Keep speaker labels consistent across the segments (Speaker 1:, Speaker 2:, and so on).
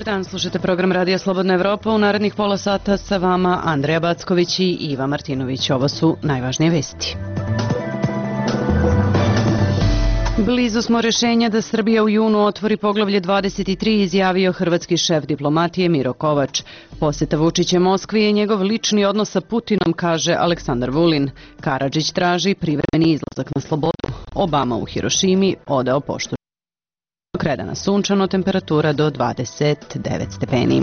Speaker 1: Dobar dan, slušate program Radija Slobodna Evropa. U narednih pola sata sa vama Andreja Backović i Iva Martinović. Ovo su najvažnije vesti. Blizu smo rešenja da Srbija u junu otvori poglavlje 23, izjavio hrvatski šef diplomatije Miro Kovač. Poseta Vučića Moskvi je njegov lični odnos sa Putinom, kaže Aleksandar Vulin. Karadžić traži privremeni izlazak na slobodu. Obama u Hirošimi odao poštu. Kredana sunčano, temperatura do 29 stepeni.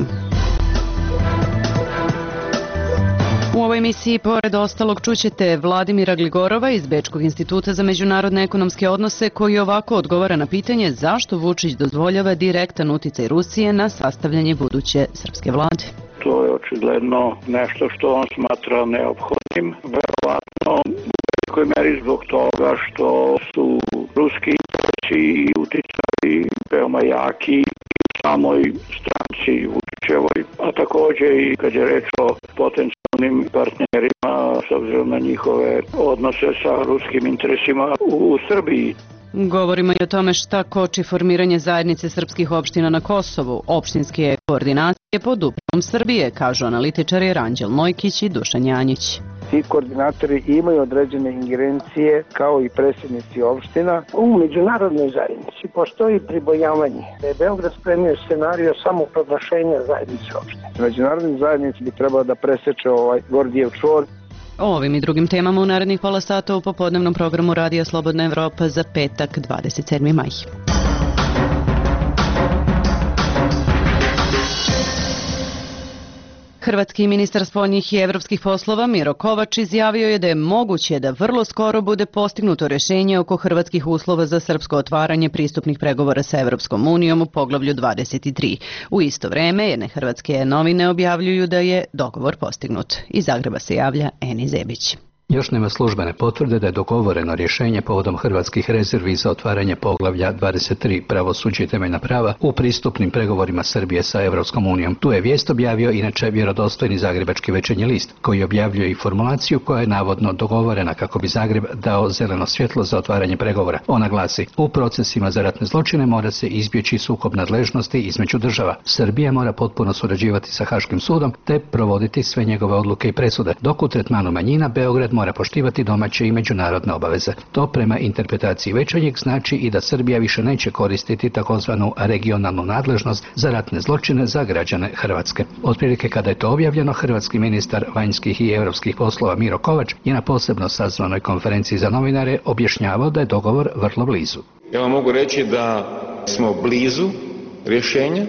Speaker 1: U ovoj emisiji, pored ostalog, čućete Vladimira Gligorova iz Bečkog instituta za međunarodne ekonomske odnose, koji ovako odgovara na pitanje zašto Vučić dozvoljava direktan uticaj Rusije na sastavljanje buduće srpske vlade.
Speaker 2: To je očigledno nešto što on smatra neophodnim, verovatno u velikoj meri zbog toga što su ruski interesi i uticaji veoma jaki u samoj stranci Vučićevoj, a takođe i kad je reč o potencijalnim partnerima s obzirom na njihove odnose sa ruskim interesima u Srbiji.
Speaker 1: Govorimo i o tome šta koči formiranje zajednice srpskih opština na Kosovu. Opštinske koordinacije pod upravom Srbije, kažu analitičari Ranđel Mojkić i Dušan Janjić.
Speaker 3: Ti koordinatori imaju određene ingerencije kao i predsjednici opština.
Speaker 4: U međunarodnoj zajednici postoji pribojavanje da je Beograd spremio scenario samo proglašenja zajednice opština.
Speaker 3: Međunarodni zajednici bi trebalo da preseče ovaj Gordijev čvor.
Speaker 1: O ovim i drugim temama u narednih pola sata u popodnevnom programu Radija Slobodna Evropa za petak 27. maj. Hrvatski ministar spoljnih i evropskih poslova Miro Kovač izjavio je da je moguće da vrlo skoro bude postignuto rešenje oko hrvatskih uslova za srpsko otvaranje pristupnih pregovora sa Evropskom unijom u poglavlju 23. U isto vreme jedne hrvatske novine objavljuju da je dogovor postignut. Iz Zagreba se javlja Eni Zebić.
Speaker 5: Još nema službene potvrde da je dogovoreno rješenje povodom hrvatskih rezervi za otvaranje poglavlja 23 pravosuđe i temeljna prava u pristupnim pregovorima Srbije sa Evropskom unijom. Tu je vijest objavio inače vjerodostojni zagrebački Večernji list, koji objavljuje i formulaciju koja je navodno dogovorena kako bi Zagreb dao zeleno svjetlo za otvaranje pregovora. Ona glasi: u procesima za ratne zločine mora se izbjeći sukob nadležnosti između država. Srbija mora potpuno surađivati sa Haškim sudom te provoditi sve njegove odluke i presude, dok u tretmanu manjina Beograd mora poštivati domaće i međunarodne obaveze. To prema interpretaciji Večernjeg znači i da Srbija više neće koristiti takozvanu regionalnu nadležnost za ratne zločine za građane Hrvatske. Otprilike kada je to objavljeno, hrvatski ministar vanjskih i europskih poslova Miro Kovač je na posebno sazvanoj konferenciji za novinare objašnjavao da je dogovor vrlo blizu.
Speaker 6: Ja vam mogu reći da smo blizu rješenja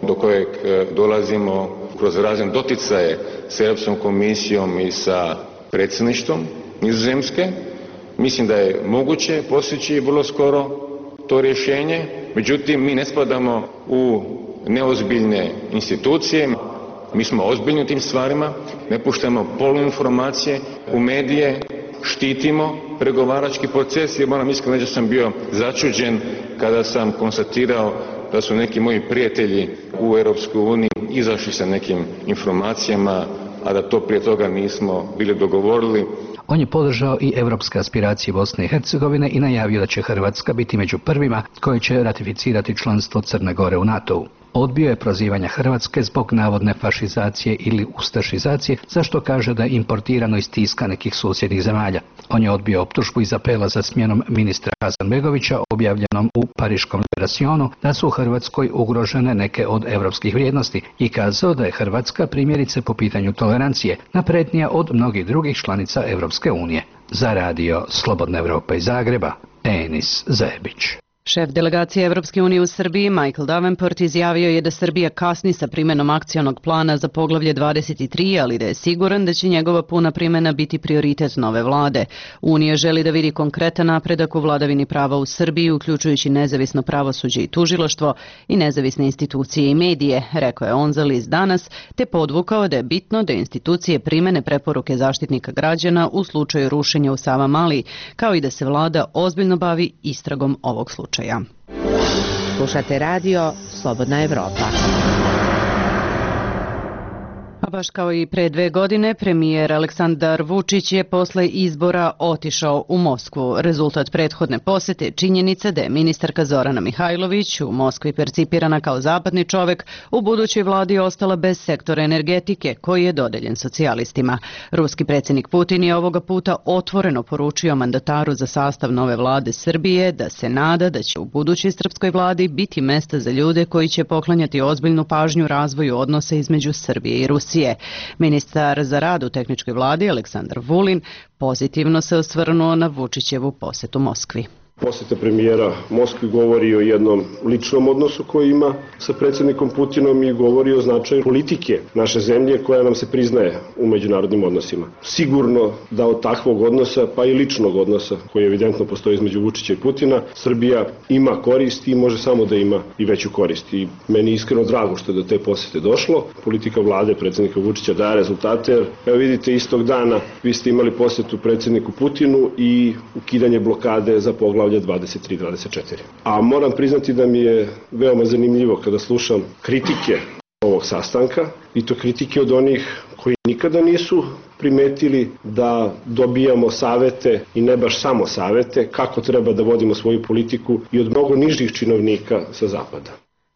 Speaker 6: do kojeg dolazimo kroz razne doticaje s Europskom komisijom i sa predsjedništvom Nizozemske. Mislim da je moguće postići vrlo skoro to rješenje, međutim mi ne spadamo u neozbiljne institucije, mi smo ozbiljni u tim stvarima, ne puštamo poluinformacije u medije, štitimo pregovarački proces. I moram iskreno reći da sam bio začuđen kada sam konstatirao da su neki moji prijatelji u Europskoj uniji izašli sa nekim informacijama, a da to prije toga nismo bili dogovorili.
Speaker 5: On je podržao i evropske aspiracije Bosne i Hercegovine i najavio da će Hrvatska biti među prvima koji će ratificirati članstvo Crne Gore u NATO-u. Odbio je prozivanja Hrvatske zbog navodne fašizacije ili ustašizacije, zašto kaže da je importirano iz tiska nekih susjednih zemalja. On je odbio optužbu iz apela za smjenom ministra Hasanbegovića objavljenom u Pariškom Liberationu da su u Hrvatskoj ugrožene neke od evropskih vrijednosti i kazao da je Hrvatska primjerice po pitanju tolerancije naprednija od mnogih drugih članica Evropske unije. Za Radio Slobodna Evropa iz Zagreba, Enis Zebić.
Speaker 1: Šef delegacije Evropske unije u Srbiji Michael Davenport izjavio je da Srbija kasni sa primenom akcionog plana za poglavlje 23, ali da je siguran da će njegova puna primjena biti prioritet nove vlade. Unija želi da vidi konkretan napredak u vladavini prava u Srbiji, uključujući nezavisno pravosuđe i tužilaštvo i nezavisne institucije i medije, rekao je on za list Danas, te podvukao da je bitno da institucije primene preporuke zaštitnika građana u slučaju rušenja u Savamali, kao i da se vlada ozbiljno bavi istragom ovog slučaja.
Speaker 7: Slušate radio Slobodna Evropa.
Speaker 1: Baš kao i pre 2 godine, premijer Aleksandar Vučić je posle izbora otišao u Moskvu. Rezultat prethodne posete je činjenica da je ministarka Zorana Mihajlović u Moskvi percipirana kao zapadni čovek, u budućoj vladi ostala bez sektora energetike koji je dodeljen socijalistima. Ruski predsjednik Putin je ovoga puta otvoreno poručio mandataru za sastav nove vlade Srbije da se nada da će u budućoj srpskoj vladi biti mesta za ljude koji će poklanjati ozbiljnu pažnju razvoju odnosa između Srbije i Rusije. Ministar za rad u tehničkoj vladi Aleksandar Vulin pozitivno se osvrnuo na Vučićevu posetu Moskvi.
Speaker 7: Poseta premijera Moskvi govori o jednom ličnom odnosu koji ima sa predsjednikom Putinom i govori o značaju politike naše zemlje koja nam se priznaje u međunarodnim odnosima. Sigurno da od takvog odnosa, pa i ličnog odnosa koji evidentno postoji između Vučića i Putina, Srbija ima korist i može samo da ima i veću korist. I meni je iskreno drago što je do te posete došlo. Politika vlade predsjednika Vučića daje rezultate, jer evo vidite, istog dana vi ste imali posetu predsjedniku Putinu i ukidanje blokade za poglavlje 23-24. A moram priznati da mi je veoma zanimljivo kada slušam kritike ovog sastanka, i to kritike od onih koji nikada nisu primetili da dobijamo savete, i ne baš samo savete, kako treba da vodimo svoju politiku, i od mnogo nižih činovnika sa zapada.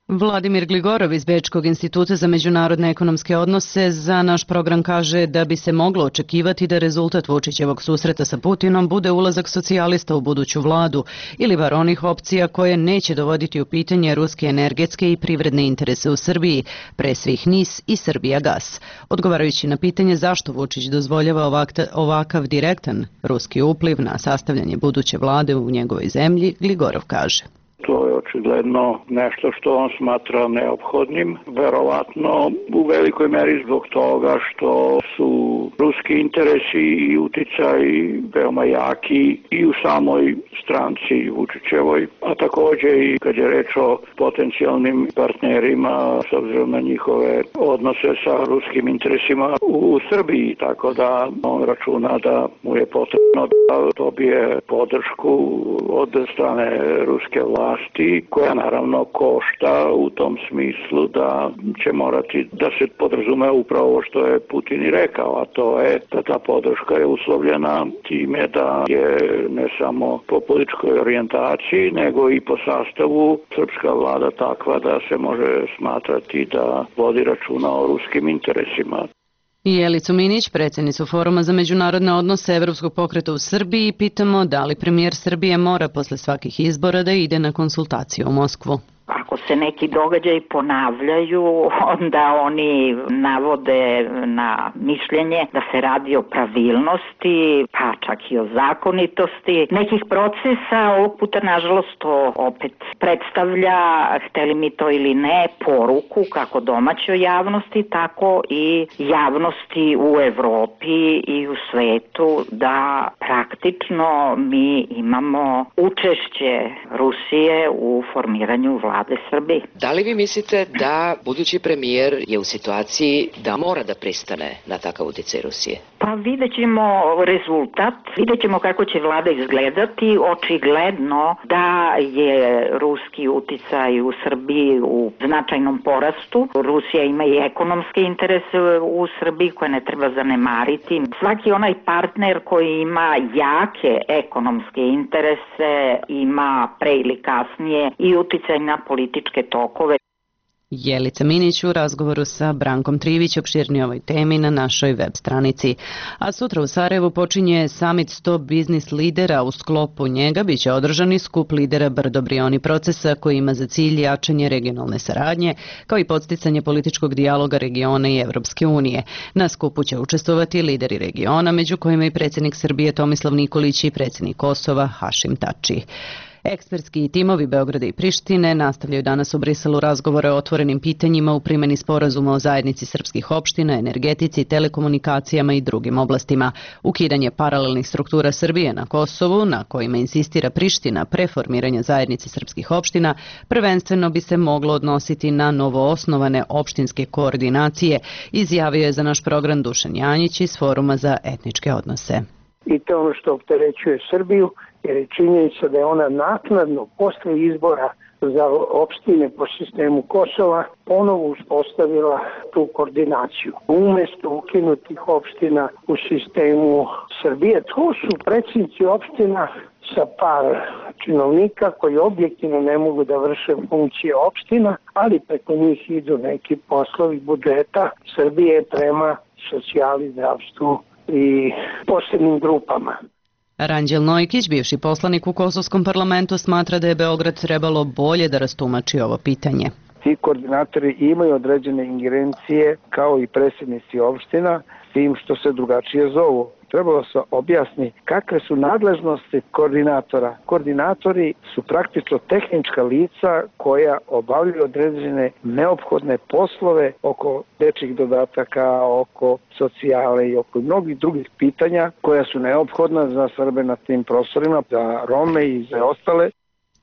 Speaker 1: Vladimir Gligorov iz Bečkog instituta za međunarodne ekonomske odnose za naš program kaže da bi se moglo očekivati da rezultat Vučićevog susreta sa Putinom bude ulazak socijalista u buduću vladu ili bar onih opcija koje neće dovoditi u pitanje ruske energetske i privredne interese u Srbiji, pre svih NIS i Srbijagas. Odgovarajući na pitanje zašto Vučić dozvoljava ovakav direktan ruski upliv na sastavljanje buduće vlade u njegovoj zemlji, Gligorov kaže:
Speaker 2: To je očigledno nešto što on smatra neophodnim, verovatno u velikoj meri zbog toga što su ruski interesi i uticaj veoma jaki i u samoj stranci Vučićevoj, a takođe i kad je reč o potencijalnim partnerima s obzirom na njihove odnose sa ruskim interesima u Srbiji, tako da on računa da mu je potrebno da dobije podršku od strane ruske vlasti, koja naravno košta u tom smislu da će morati da se podrazume upravo ovo što je Putin i rekao, a to je da ta podrška je uslovljena time da je ne samo po političkoj orijentaciji, nego i po sastavu srpska vlada takva da se može smatrati da vodi računa o ruskim interesima.
Speaker 1: Jelicu Minić, predsjednicu Foruma za međunarodne odnose Evropskog pokreta u Srbiji, pitamo da li premijer Srbije mora posle svakih izbora da ide na konsultaciju u Moskvu.
Speaker 8: Ako se neki događaji ponavljaju, onda oni navode na mišljenje da se radi o pravilnosti, pa čak i o zakonitosti nekih procesa. Ovog puta, nažalost, to opet predstavlja, hteli mi to ili ne, poruku kako domaćoj javnosti, tako i javnosti u Evropi i u svetu da praktično mi imamo učešće Rusije u formiranju vlade Srbije.
Speaker 9: Da li vi mislite da budući premijer je u situaciji da mora da pristane na takav uticaj Rusije?
Speaker 8: Pa vidjet ćemo rezultat, vidjet ćemo kako će vlada izgledati. Očigledno da je ruski uticaj u Srbiji u značajnom porastu. Rusija ima i ekonomske interese u Srbiji koje ne treba zanemariti. Svaki onaj partner koji ima jake ekonomske interese ima pre ili kasnije i uticaj na političke tokove.
Speaker 1: Jelica Minić u razgovoru sa Brankom Trivić opširnije ovoj temi na našoj web stranici. A sutra u Sarajevu počinje Summit 100 biznis lidera. U sklopu njega biće održani skup lidera Brdo-Brioni procesa koji ima za cilj jačanje regionalne saradnje, kao i podsticanje političkog dijaloga regiona i Evropske unije. Na skupu će učestvovati lideri regiona, među kojima i predsjednik Srbije Tomislav Nikolić i predsjednik Kosova Hašim Tači. Ekspertski timovi Beograda i Prištine nastavljaju danas u Briselu razgovore o otvorenim pitanjima u primjeni sporazuma o zajednici srpskih opština, energetici, telekomunikacijama i drugim oblastima. Ukidanje paralelnih struktura Srbije na Kosovu, na kojima insistira Priština pre formiranja zajednice srpskih opština, prvenstveno bi se moglo odnositi na novoosnovane opštinske koordinacije, izjavio je za naš program Dušan Janjić iz Foruma za etničke odnose.
Speaker 4: I to ono što opterećuje Srbiju, jer je činjenica da je ona naknadno posle izbora za opštine po sistemu Kosova ponovo uspostavila tu koordinaciju. Umesto ukinutih opština u sistemu Srbije, to su predsjednici opština sa par činovnika koji objektivno ne mogu da vrše funkcije opština, ali preko njih idu neki poslovi budžeta Srbije prema socijali, zdravstvu i posebnim grupama.
Speaker 1: Ranđel Nojkić, bivši poslanik u Kosovskom parlamentu, smatra da je Beograd trebalo bolje da rastumači ovo pitanje.
Speaker 3: Ti koordinatori imaju određene ingerencije kao i predsjednici opština, s tim što se drugačije zovu. Trebalo se objasni kakve su nadležnosti koordinatora. Koordinatori su praktično tehnička lica koja obavljaju određene neophodne poslove oko dečjih dodataka, oko socijale i oko mnogih drugih pitanja koja su neophodna za Srbe na tim prostorima, za Rome i za ostale.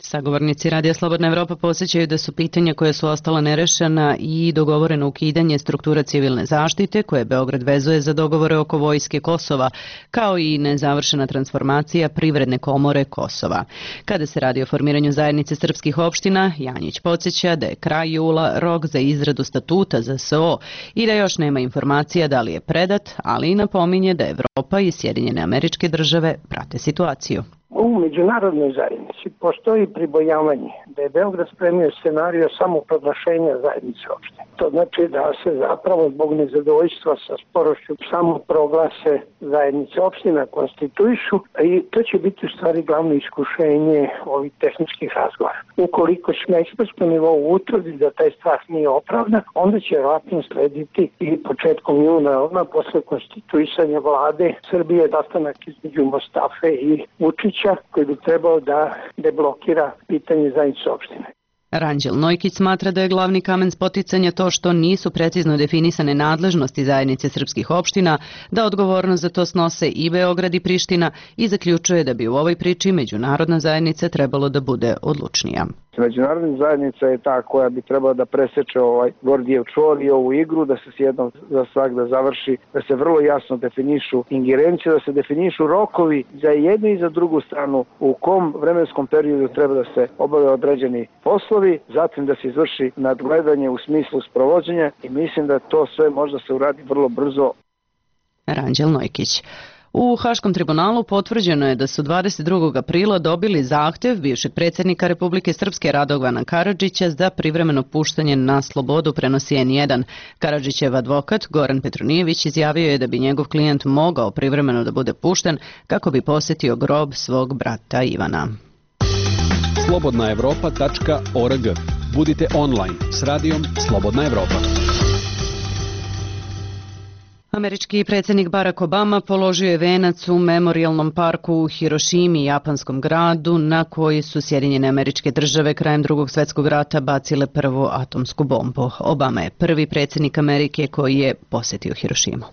Speaker 1: Sagovornici Radija Slobodna Evropa podsjećaju da su pitanja koja su ostala nerešena i dogovoreno ukidanje struktura civilne zaštite koje Beograd vezuje za dogovore oko vojske Kosova, kao i nezavršena transformacija Privredne komore Kosova. Kada se radi o formiranju zajednice srpskih opština, Janjić podsjeća da je kraj jula rok za izradu statuta za SO i da još nema informacija da li je predat, ali i napominje da Evropa i Sjedinjene Američke Države prate situaciju.
Speaker 4: U međunarodnoj zajednici postoji pribojavanje da je Beograd spremio scenario samoproglašenja zajednice opštine. To znači da se zapravo zbog nezadovoljstva sa sporošću samoproglase zajednice opština konstituišu i to će biti u stvari glavno iskušenje ovih tehničkih razgovora. Ukoliko će na ekspertskom nivou utvrdi da taj strah nije opravdan, onda će vjerojatno slediti i početkom juna, odmah posle konstituisanja vlade Srbije, sastanak između Mostafe i Vučića koji bi trebao da deblokira pitanje zajednice opštine.
Speaker 1: Ranđel Nojkić smatra da je glavni kamen spoticanja to što nisu precizno definisane nadležnosti zajednice srpskih opština, da odgovornost za to snose i Beograd i Priština i zaključuje da bi u ovoj priči međunarodna zajednica trebalo da bude odlučnija.
Speaker 3: Međunarodna zajednica je ta koja bi trebala da preseče ovaj Gordijev čvor i ovu igru, da se jednom za svagda završi, da se vrlo jasno definišu ingerencije, da se definišu rokovi za jednu i za drugu stranu u kom vremenskom periodu treba da se obave određeni poslovi, zatim da se izvrši nadgledanje u smislu sprovođenja i mislim da to sve možda se uradi vrlo brzo.
Speaker 1: Ranđel Nojkić. U Haškom tribunalu potvrđeno je da su 22. aprila dobili zahtev bivšeg predsjednika Republike Srpske Radovana Karadžića za privremeno puštanje na slobodu, prenosi N1. Karadžićev advokat Goran Petronijević izjavio je da bi njegov klijent mogao privremeno da bude pušten kako bi posjetio grob svog brata Ivana.
Speaker 10: slobodnaevropa.org. Budite online s radijom Slobodna Evropa.
Speaker 1: Američki predsjednik Barack Obama položio je venac u memorijalnom parku u Hirošimi, japanskom gradu, na koji su Sjedinjene Američke Države krajem Drugog svjetskog rata bacile prvu atomsku bombu. Obama je prvi predsjednik Amerike koji je posjetio Hirošimu.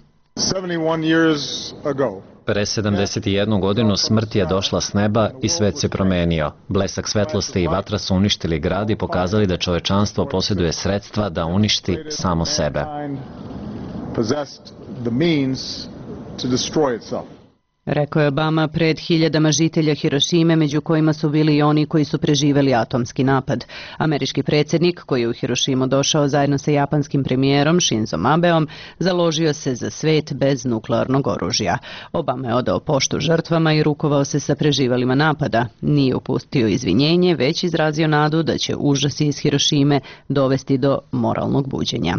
Speaker 11: Pre 71 godinu smrt je došla s neba i svet se promenio. Blesak svetlosti i vatra su uništili grad i pokazali da čovečanstvo posjeduje sredstva da uništi samo sebe.
Speaker 1: Rekao je Obama pred hiljadama žitelja Hirošime, među kojima su bili i oni koji su preživeli atomski napad. Američki predsjednik, koji je u Hirošimu došao zajedno sa japanskim premijerom Shinzom Abeom, založio se za svet bez nuklearnog oružja. Obama je odao poštu žrtvama i rukovao se sa preživelima napada. Nije upustio izvinjenje, već izrazio nadu da će užasi iz Hirošime dovesti do moralnog buđenja.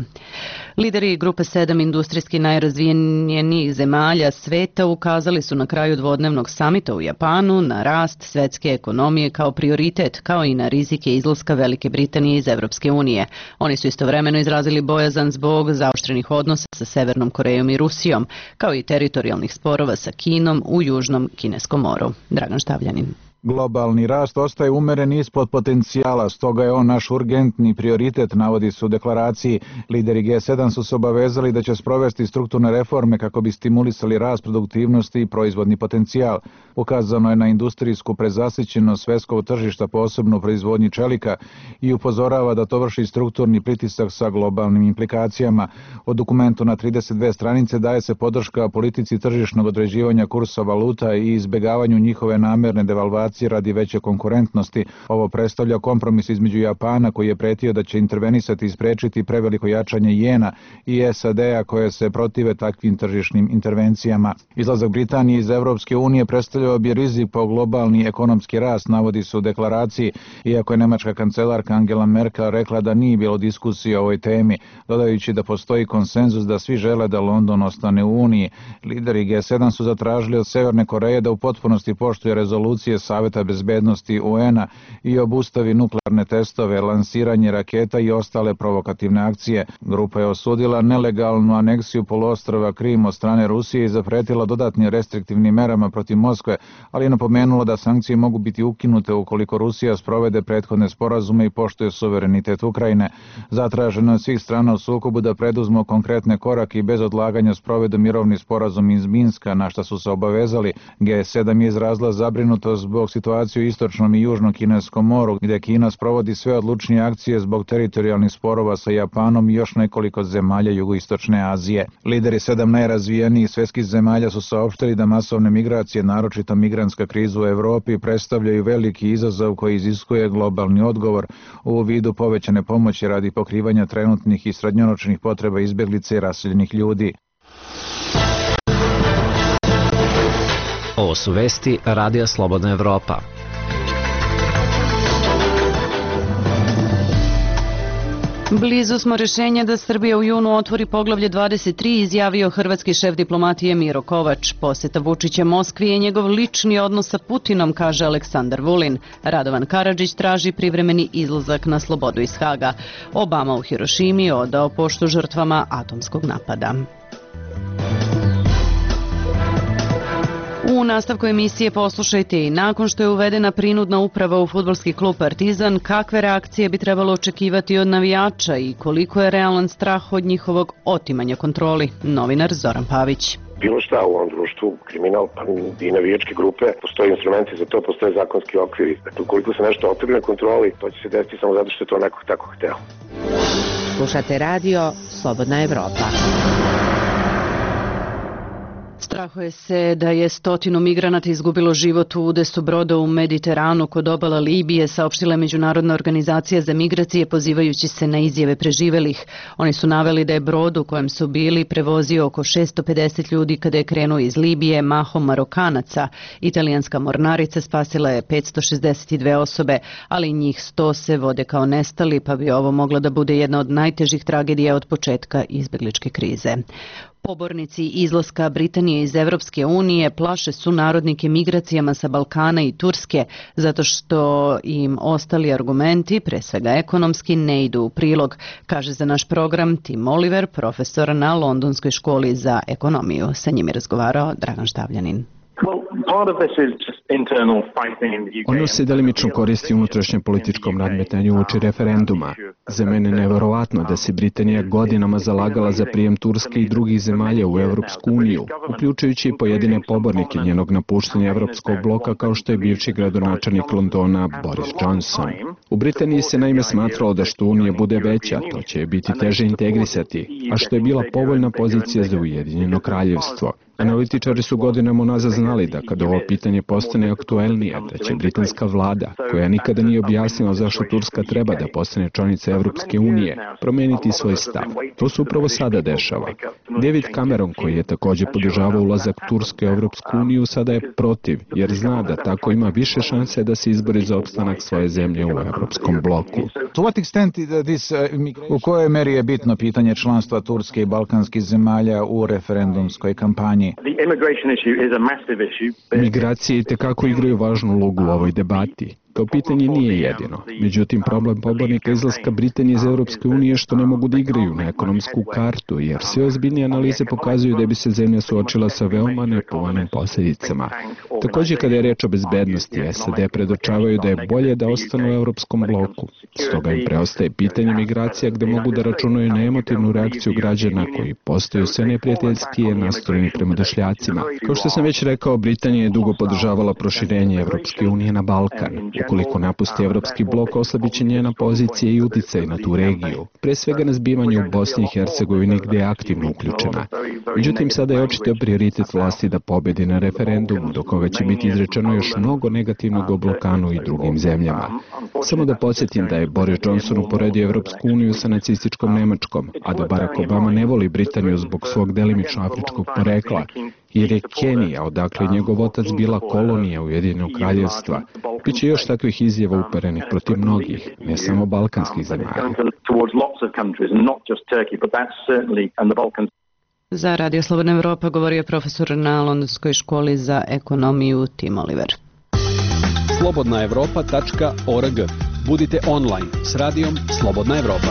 Speaker 1: Lideri grupe 7 industrijski najrazvijenijih zemalja sveta ukazali su na kraju dvodnevnog samita u Japanu na rast svetske ekonomije kao prioritet, kao i na rizike izlaska Velike Britanije iz Evropske unije. Oni su istovremeno izrazili bojazan zbog zaoštrenih odnosa sa Severnom Korejom i Rusijom, kao i teritorijalnih sporova sa Kinom u Južnom Kineskom moru. Dragan Štavljanin.
Speaker 12: Globalni rast ostaje umeren ispod potencijala, stoga je on naš urgentni prioritet, navodi se u deklaraciji. Lideri G7 su se obavezali da će sprovesti strukturne reforme kako bi stimulisali rast produktivnosti i proizvodni potencijal. Ukazano je na industrijsku prezasićenost svetskog tržišta, posebno u proizvodnji čelika, i upozorava da to vrši strukturni pritisak sa globalnim implikacijama. O dokumentu na 32 stranice daje se podrška politici tržišnog određivanja kursa valuta i izbegavanju njihove namerne devalvacije Americi radi veće konkurentnosti. Ovo predstavlja kompromis između Japana koji je pretio da će intervenisati i sprečiti preveliko jačanje jena i SAD-a koje se protive takvim tržišnim intervencijama. Izlazak Britanije iz Evropske unije predstavljao bi rizik po globalni ekonomski rast, navodi se u deklaraciji, iako je nemačka kancelarka Angela Merkel rekla da nije bilo diskusije o ovoj temi, dodajući da postoji konsenzus da svi žele da London ostane u Uniji. Lideri G7 su zatražili od Severne Koreje da u potpunosti poštuje rezolucije Saveta bezbednosti UN-a i obustavi nuklearne testove, lansiranje raketa i ostale provokativne akcije. Grupa je osudila nelegalnu aneksiju poluostrva Krim od strane Rusije i zapretila dodatnim restriktivnim merama protiv Moskve, ali je napomenula da sankcije mogu biti ukinute ukoliko Rusija sprovede prethodne sporazume i poštuje suverenitet Ukrajine. Zatraženo od svih strana u sukobu da preduzmu konkretne korake i bez odlaganja sprovedu mirovni sporazum iz Minska, na šta su se obavezali. G7 je izrazila zabrinutost zbog situacije u istočnom i južnom Kineskom moru, gdje Kina sprovodi sve odlučnije akcije zbog teritorijalnih sporova sa Japanom i još nekoliko zemalja jugoistočne Azije. Lideri 7 najrazvijenijih svjetskih zemalja su saopštili da masovne migracije, naročito migrantska kriza u Evropi, predstavljaju veliki izazov koji iziskuje globalni odgovor u vidu povećane pomoći radi pokrivanja trenutnih i srednjoročnih potreba izbjeglica i raseljenih ljudi.
Speaker 11: Ovo su vesti Radija Slobodna Evropa.
Speaker 1: Blizu smo rješenja da Srbija u junu otvori poglavlje 23, izjavio hrvatski šef diplomatije Miro Kovač. Posjeta Vučića Moskvi je njegov lični odnos sa Putinom, kaže Aleksandar Vulin. Radovan Karadžić traži privremeni izlazak na slobodu iz Haga. Obama u Hirošimi odao poštu žrtvama atomskog napada. U nastavku emisije poslušajte i nakon što je uvedena prinudna uprava u fudbalski klub Partizan, kakve reakcije bi trebalo očekivati od navijača i koliko je realan strah od njihovog otimanja kontroli. Novinar Zoran Pavić.
Speaker 13: Bilo šta u ovom društvu, kriminal, pa i navijačke grupe, postoje instrumenti za to, postoje zakonski okviri. Dakle, ukoliko se nešto otrgne na kontroli, to će se desiti samo zato što je to neko tako hteo.
Speaker 14: Slušate radio Slobodna Evropa.
Speaker 1: Strahuje se da je 100 migranata izgubilo život u udesu broda u Mediteranu kod obala Libije, saopštila je Međunarodna organizacija za migracije pozivajući se na izjave preživelih. Oni su naveli da je brod u kojem su bili prevozio oko 650 ljudi kada je krenuo iz Libije, mahom Marokanaca. Italijanska mornarica spasila je 562 osobe, ali njih 100 se vode kao nestali, pa bi ovo mogla da bude jedna od najtežih tragedija od početka izbjegličke krize. Pobornici izlaska Britanije iz Evropske unije plaše su narodnike migracijama sa Balkana i Turske, zato što im ostali argumenti, pre svega ekonomski, ne idu u prilog, kaže za naš program Tim Oliver, profesor na Londonskoj školi za ekonomiju. Sa njim je razgovarao Dragan Štavljanin.
Speaker 15: Ono se delimično koristi u unutrašnjem političkom nadmetanju uoči referenduma. Za mene je neverovatno da se Britanija godinama zalagala za prijem Turske i drugih zemalja u Evropsku uniju, uključujući i pojedine pobornike njenog napuštanja Evropskog bloka kao što je bivši gradonačelnik Londona Boris Johnson. U Britaniji se naime smatralo da što Unija bude veća, to će biti teže integrisati, a što je bila povoljna pozicija za Ujedinjeno kraljevstvo. Analitičari su godinama unazad znali da kada ovo pitanje postane aktuelnije, da će britanska vlada, koja nikada nije objasnila zašto Turska treba da postane članica Evropske unije, promeniti svoj stav. To se upravo sada dešava. David Cameron, koji je također podržavao ulazak Turske u Evropsku uniju, sada je protiv, jer zna da tako ima više šanse da se izbori za opstanak svoje zemlje u Evropskom bloku.
Speaker 12: U kojoj meri je bitno pitanje članstva Turske i balkanskih zemalja u referendumskoj kampanji?
Speaker 15: Migracije itekako igraju važnu ulogu u ovoj debati. To pitanje nije jedino. Međutim, problem pobornika izlaska Britanije iz Europske unije je što ne mogu da igraju na ekonomsku kartu, jer sve ozbiljnije analize pokazuju da bi se zemlja suočila sa veoma nepovoljnim posljedicama. Također, kada je reč o bezbednosti, SAD predočavaju da je bolje da ostanu u Europskom bloku. Stoga im preostaje pitanje migracija gde mogu da računaju na emotivnu reakciju građana koji postaju sve neprijateljskije nastrojeni prema došljacima. Kao što sam već rekao, Britanija je dugo podržavala proširenje Evropske unije na Balkan. Ukoliko napusti evropski blok, oslabiće njena pozicija i uticaj na tu regiju, pre svega na zbivanje u Bosni i Hercegovini gde je aktivno uključena. Međutim, sada je očito prioritet vlasti da pobedi na referendumu, do koga će biti izrečeno još mnogo negativnog o Balkanu i drugim zemljama. Samo da podsjetim da je Boris Johnson uporedio Evropsku uniju sa nacističkom Nemačkom, a da Barack Obama ne voli Britaniju zbog svog delimično afričkog porekla, jer je Kenija, odakle je njegov otac bila kolonija Ujedinjenog kraljevstva. Biće još takvih izjava uperenih protiv mnogih, ne samo balkanskih zemalja.
Speaker 1: Za Radio Slobodna Evropa govorio profesor na Londonskoj školi za ekonomiju Tim Oliver.
Speaker 10: slobodnaevropa.org. Budite online s radijom Slobodna Evropa.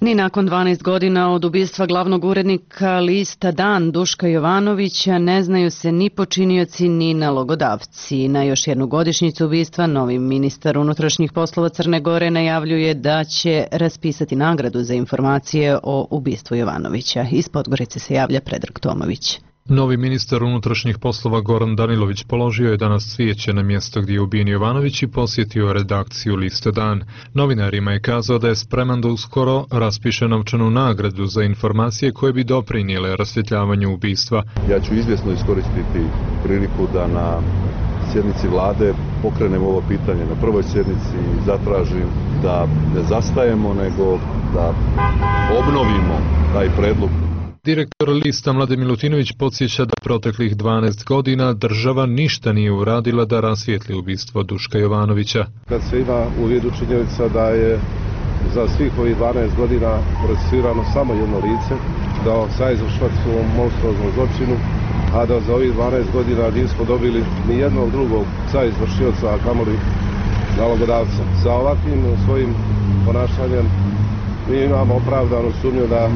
Speaker 1: Ni nakon 12 godina od ubistva glavnog urednika lista Dan Duška Jovanovića ne znaju se ni počinioci ni nalogodavci. Na još jednu godišnjicu ubistva novi ministar unutrašnjih poslova Crne Gore najavljuje da će raspisati nagradu za informacije o ubistvu Jovanovića. Iz Podgorice se javlja Predrag Tomović.
Speaker 16: Novi ministar unutrašnjih poslova Goran Danilović položio je danas cvijeće na mjesto gdje je ubijen Jovanović i posjetio redakciju Liste Dan. Novinarima je kazao da je spreman da uskoro raspiše novčanu nagradu za informacije koje bi doprinijele rasvjetljavanju ubistva.
Speaker 17: Ja ću izvjesno iskoristiti priliku da na sjednici vlade pokrenem ovo pitanje na prvoj sjednici i zatražim da ne zastajemo, nego da obnovimo taj predlog.
Speaker 16: Direktor Lista Mladen Milutinović podsjeća da proteklih 12 godina država ništa nije uradila da rasvijetli ubistvo Duška Jovanovića.
Speaker 17: Kad se ima u vidu činjenica da je za svih ovih 12 godina procesuirano samo jedno lice, kao saizvršilac u ovom monstruoznom zločinu, a da za ovih 12 godina nismo dobili ni jednog drugog saizvršioca, a kamoli nalogodavca. Sa ovakvim svojim ponašanjem mi imamo opravdanu sumnju da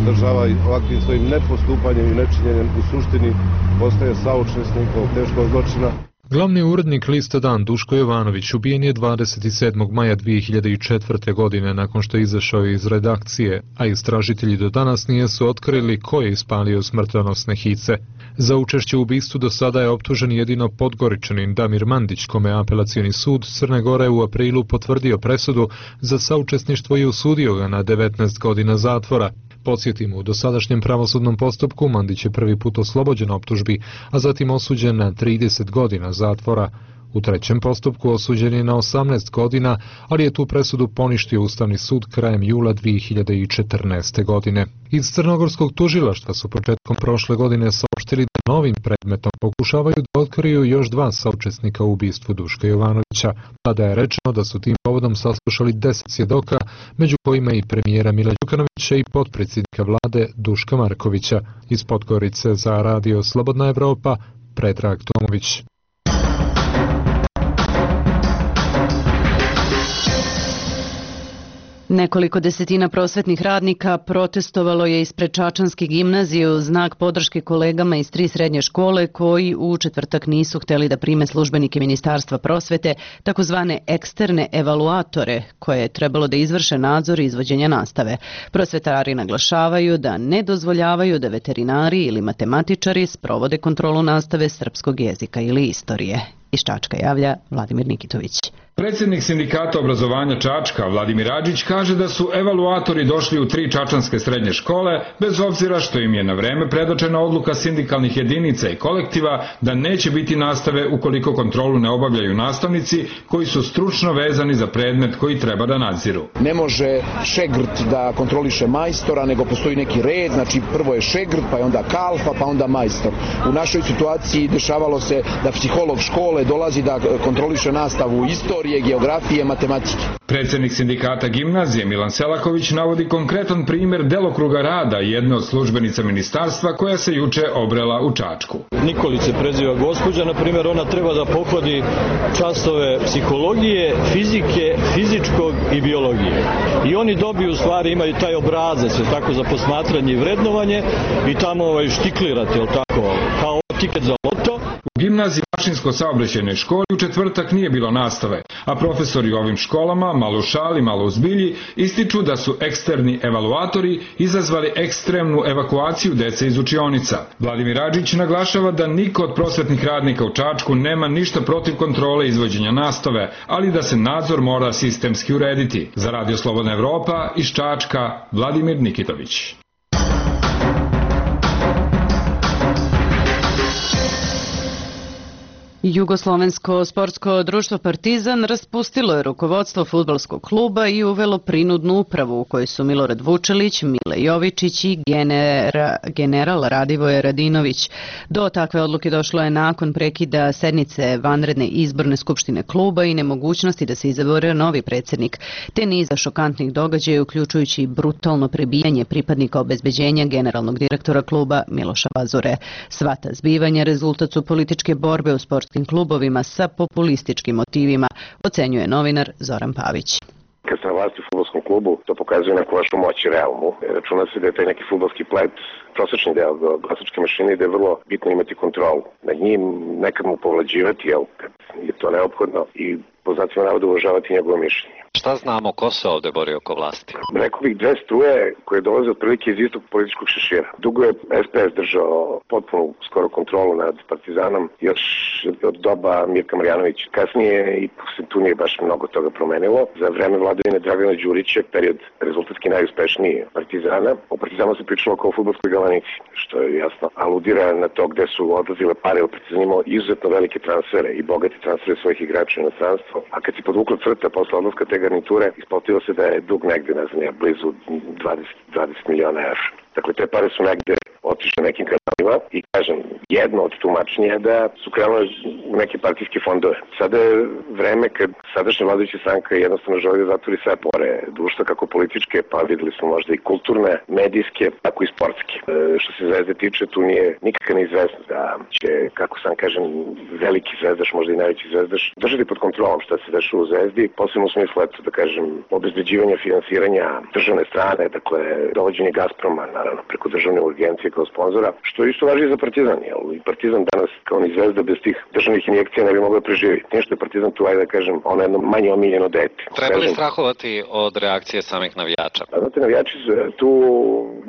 Speaker 17: država ovakvim svojim nepostupanjem i nečinjenjem u suštini postaje saučesnik ovog teškog zločina.
Speaker 16: Glavni urednik Lista Dan Duško Jovanović ubijen je 27. maja 2004. godine nakon što je izašao iz redakcije, a istražitelji do danas nisu otkrili ko je ispalio smrtonosne hice. Za učešće u ubistvu do sada je optužen jedino Podgoričanin Damir Mandić, kome apelacioni sud Crne Gore u aprilu potvrdio presudu za saučesništvo i osudio ga na 19 godina zatvora. Podsjetimo, u dosadašnjem pravosudnom postupku Mandić je prvi put oslobođen optužbi, a zatim osuđen na 30 godina zatvora. U trećem postupku osuđen je na 18 godina, ali je tu presudu poništio Ustavni sud krajem jula 2014. godine. Iz crnogorskog tužilaštva su početkom prošle godine saopštili da novim predmetom pokušavaju da otkriju još 2 saučesnika u ubistvu Duška Jovanovića. Tada je rečeno da su tim povodom saslušali 10 svjedoka, među kojima i premijera Mila Đukanovića i potpredsjednika vlade Duška Markovića. Iz Podgorice za Radio Slobodna Evropa, Predrag Tomović.
Speaker 1: Nekoliko desetina prosvetnih radnika protestovalo je ispred Čačanske gimnazije u znak podrške kolegama iz 3 srednje škole koji u četvrtak nisu htjeli da prime službenike Ministarstva prosvete, takozvane eksterne evaluatore, koje je trebalo da izvrše nadzor izvođenja nastave. Prosvetari naglašavaju da ne dozvoljavaju da veterinari ili matematičari sprovode kontrolu nastave srpskog jezika ili istorije. Iz Čačka javlja Vladimir Nikitović.
Speaker 18: Predsjednik sindikata obrazovanja Čačka, Vladimir Adžić, kaže da su evaluatori došli u 3 čačanske srednje škole, bez obzira što im je na vreme predočena odluka sindikalnih jedinica i kolektiva da neće biti nastave ukoliko kontrolu ne obavljaju nastavnici koji su stručno vezani za predmet koji treba da nadziru.
Speaker 19: Ne može šegrt da kontroliše majstora, nego postoji neki red, znači prvo je šegrt, pa je onda kalfa, pa onda majstor. U našoj situaciji dešavalo se da psiholog škole dolazi da kontroliše nastavu istorije, geografije, matematike.
Speaker 18: Predsjednik sindikata gimnazije Milan Selaković navodi konkretan primjer delokruga rada jedne od službenica ministarstva koja se juče obrela u Čačku.
Speaker 20: Nikolić se preziva gospođa, na primjer, ona treba da pohodi časove psihologije, fizike, fizičkog i biologije. I oni dobiju, u stvari, imaju taj obrazac, tako, za posmatranje i vrednovanje i tamo štiklirate, tako, kao tiket za loto
Speaker 18: U gimnaziji Mašinsko-saobraćajnoj školi u četvrtak nije bilo nastave, a profesori u ovim školama, malo u šali, malo u zbilji, ističu da su eksterni evaluatori izazvali ekstremnu evakuaciju dece iz učionica. Vladimir Radžić naglašava da niko od prosvetnih radnika u Čačku nema ništa protiv kontrole izvođenja nastave, ali da se nadzor mora sistemski urediti. Za Radio Slobodna Evropa iz Čačka, Vladimir Nikitović.
Speaker 1: Jugoslovensko sportsko društvo Partizan raspustilo je rukovodstvo fudbalskog kluba i uvelo prinudnu upravu u kojoj su Milorad Vučelić, Mile Jovičić i general Radivoje Radinović. Do takve odluke došlo je nakon prekida sednice vanredne izborne skupštine kluba i nemogućnosti da se izabere novi predsjednik, te niza šokantnih događaja uključujući brutalno prebijanje pripadnika obezbeđenja generalnog direktora kluba Miloša Vazure. Sva ta zbivanja rezultat su političke borbe u sportskim klubovima sa populističkim motivima, ocenjuje novinar Zoran Pavić.
Speaker 13: Kad ste na vlasti u fudbalskom klubu, to pokazuje neku vašu moć i realnu. Računa se da je taj neki fudbalski plet prosječni deo glasačke mašine i da je vrlo bitno imati kontrolu. Nad njim nekad mu povlađivati, kad je to neophodno, i po znacima navoda uvažavati njegovo mišljenje.
Speaker 11: Šta znamo, ko se ovde bori oko vlasti?
Speaker 13: Rekao bih dve struje koje dolaze otprilike iz istog političkog šešira. Dugo je SPS držao potpunu skoro kontrolu nad Partizanom još od doba Mirka Marjanovića. Kasnije i se tu nije baš mnogo toga promenilo. Za vreme vladavine Dragana Đurića, period rezultatski najuspešniji Partizana, o Partizanu se pričalo kao o fudbalskoj galanici, što je jasno aludira na to gde su odlazile pare. U Partizan imao izuzetno velike transfere i bogate transfere svojih igrača u inostranstvo. A kad si podvukla crta posle odlaska te garniture, isplatilo se da je dug negde, ne znam, blizu 20 miliona evra. Dakle, te pare su negde otišle nekim kanalima i, kažem, jedno od tumačenja je da su krenule u neke partijske fondove. Sada je vreme kad sadašnja vladajuća stranka jednostavno želi da zatvori sve pore društva, kako političke, pa videli smo možda i kulturne, medijske, tako i sportske. Što se Zvezde tiče, tu nije nikakva neizvesnost da će, kako sam kažem, veliki zvezdaš, možda i najveći zvezdaš, držati pod kontrolom šta se dešava u Zvezdi, posebno u smislu, eto, da kažem, obezbeđivanja finansiranja državne strane, dakle, dovođenje Gazproma, naravno, preko državne urgencije kao sponzora, što isto važi i za Partizan, jer i Partizan danas, kao ni Zvezda, bez tih državnih injekcija ne bi mogla preživjeti. Nije što je Partizan tu, ajde da kažem, ono jedno manje omiljeno dete.
Speaker 11: Treba li strahovati od reakcije samih navijača?
Speaker 13: Znate, navijači tu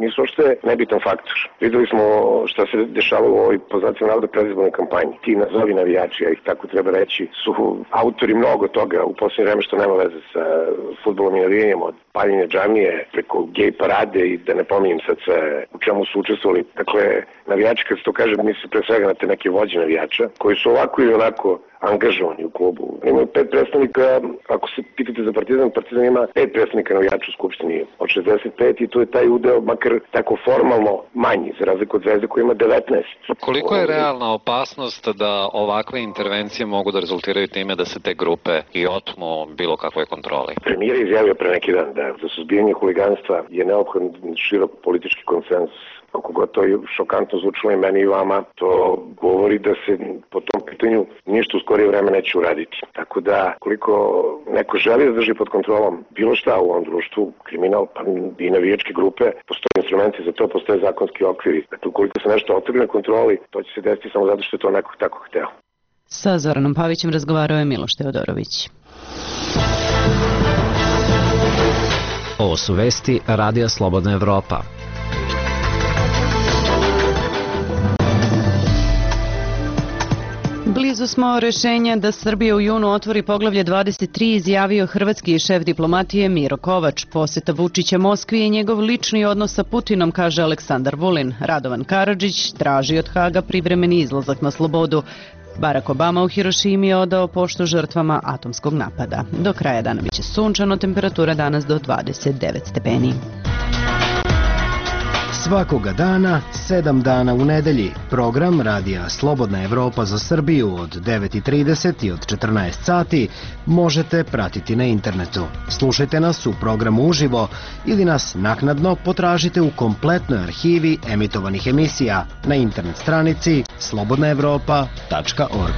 Speaker 13: nisu ošte nebitan faktor. Videli smo šta se dešava u ovoj, po znacima navoda, predizbornoj kampanji. Ti nazovi navijači, ja ih tako treba reći, su autori mnogo toga u posljednje vreme, što nema veze sa fudbalom i navijanjem, od paljenja džamije preko gej parade i da ne pominjem sad sve u čemu su učestvovali. Dakle, navijači, kad se to kaže, misli pre svega na te neke vođe navijača, koji su ovako ili onako angažovani u klubu. Imaju 5 predstavnika, ako se pitate za Partizan, Partizan ima 5 predstavnika navijača u skupštini od 65 i to je taj udeo, makar tako formalno, manji, za razliku od Zvezde koja ima 19.
Speaker 11: Koliko je realna opasnost da ovakve intervencije mogu da rezultiraju time da se te grupe i otmu bilo kakvoj kontroli?
Speaker 13: Premijer je izjavio pre neki dan da za suzbijanje huliganstva je neophodan širok politički konsenzus. Kako god to je šokantno zvučilo i meni i vama, to govori da se po tom pitanju ništa u skorije vreme neće uraditi. Tako da, koliko neko želi da drži pod kontrolom bilo šta u ovom društvu, kriminal, pa i navijačke grupe, postoje instrumenti za to, postoje zakonski okviri. Dakle, ukoliko se nešto otrgne kontroli, to će se desiti samo zato što je to neko tako hteo.
Speaker 1: Sa Zoranom Pavićem razgovarao je Miloš Teodorović.
Speaker 11: Ovo su vesti Radija Slobodna Evropa.
Speaker 1: Blizu smo rešenja da Srbija u junu otvori poglavlje 23, izjavio hrvatski šef diplomatije Miro Kovač. Poseta Vučića Moskvi je njegov lični odnos sa Putinom, kaže Aleksandar Vulin. Radovan Karadžić traži od Haga privremeni izlazak na slobodu. Barack Obama u Hirošimi je odao poštu žrtvama atomskog napada. Do kraja dana biće sunčano, temperatura danas do 29 stepeni.
Speaker 21: Svakoga dana, 7 dana u nedelji. Program Radija Slobodna Evropa za Srbiju od 9:30 i od 14 sati možete pratiti na internetu. Slušajte nas u programu uživo ili nas naknadno potražite u kompletnoj arhivi emitovanih emisija na internet stranici slobodnaevropa.org.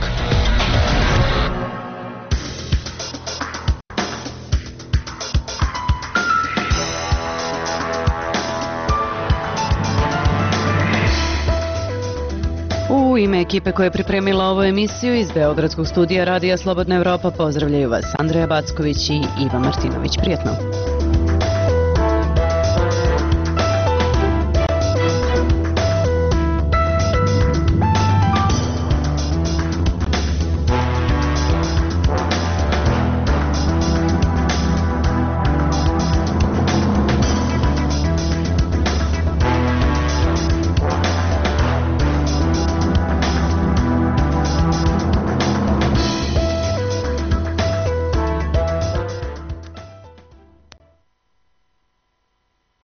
Speaker 1: U ime ime ekipe koja je pripremila ovu emisiju iz Beogradskog studija Radija Slobodna Evropa pozdravljaju vas Andreja Backović i Iva Martinović. Prijetno!